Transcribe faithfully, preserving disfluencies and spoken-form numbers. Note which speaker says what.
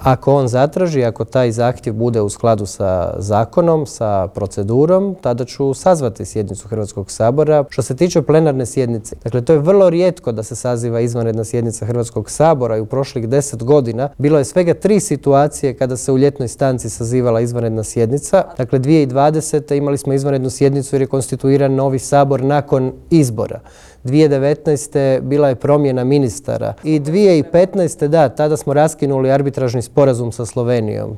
Speaker 1: Ako on zatraži, ako taj zahtjev bude u skladu sa zakonom, sa procedurom, tada ću sazvati sjednicu Hrvatskog sabora. Što se tiče plenarne sjednice, dakle to je vrlo rijetko da se saziva izvanredna sjednica Hrvatskog sabora i u prošlih deset godina bilo je svega tri situacije kada se u ljetnoj stanci sazivala izvanredna sjednica. Dakle, dvije tisuće dvadesete. imali smo izvanrednu sjednicu jer je konstituiran novi sabor nakon izbora. dvije tisuće devetnaeste. bila je promjena ministara i dvije tisuće petnaeste. da, tada smo raskinuli arbitražni sporazum sa Slovenijom.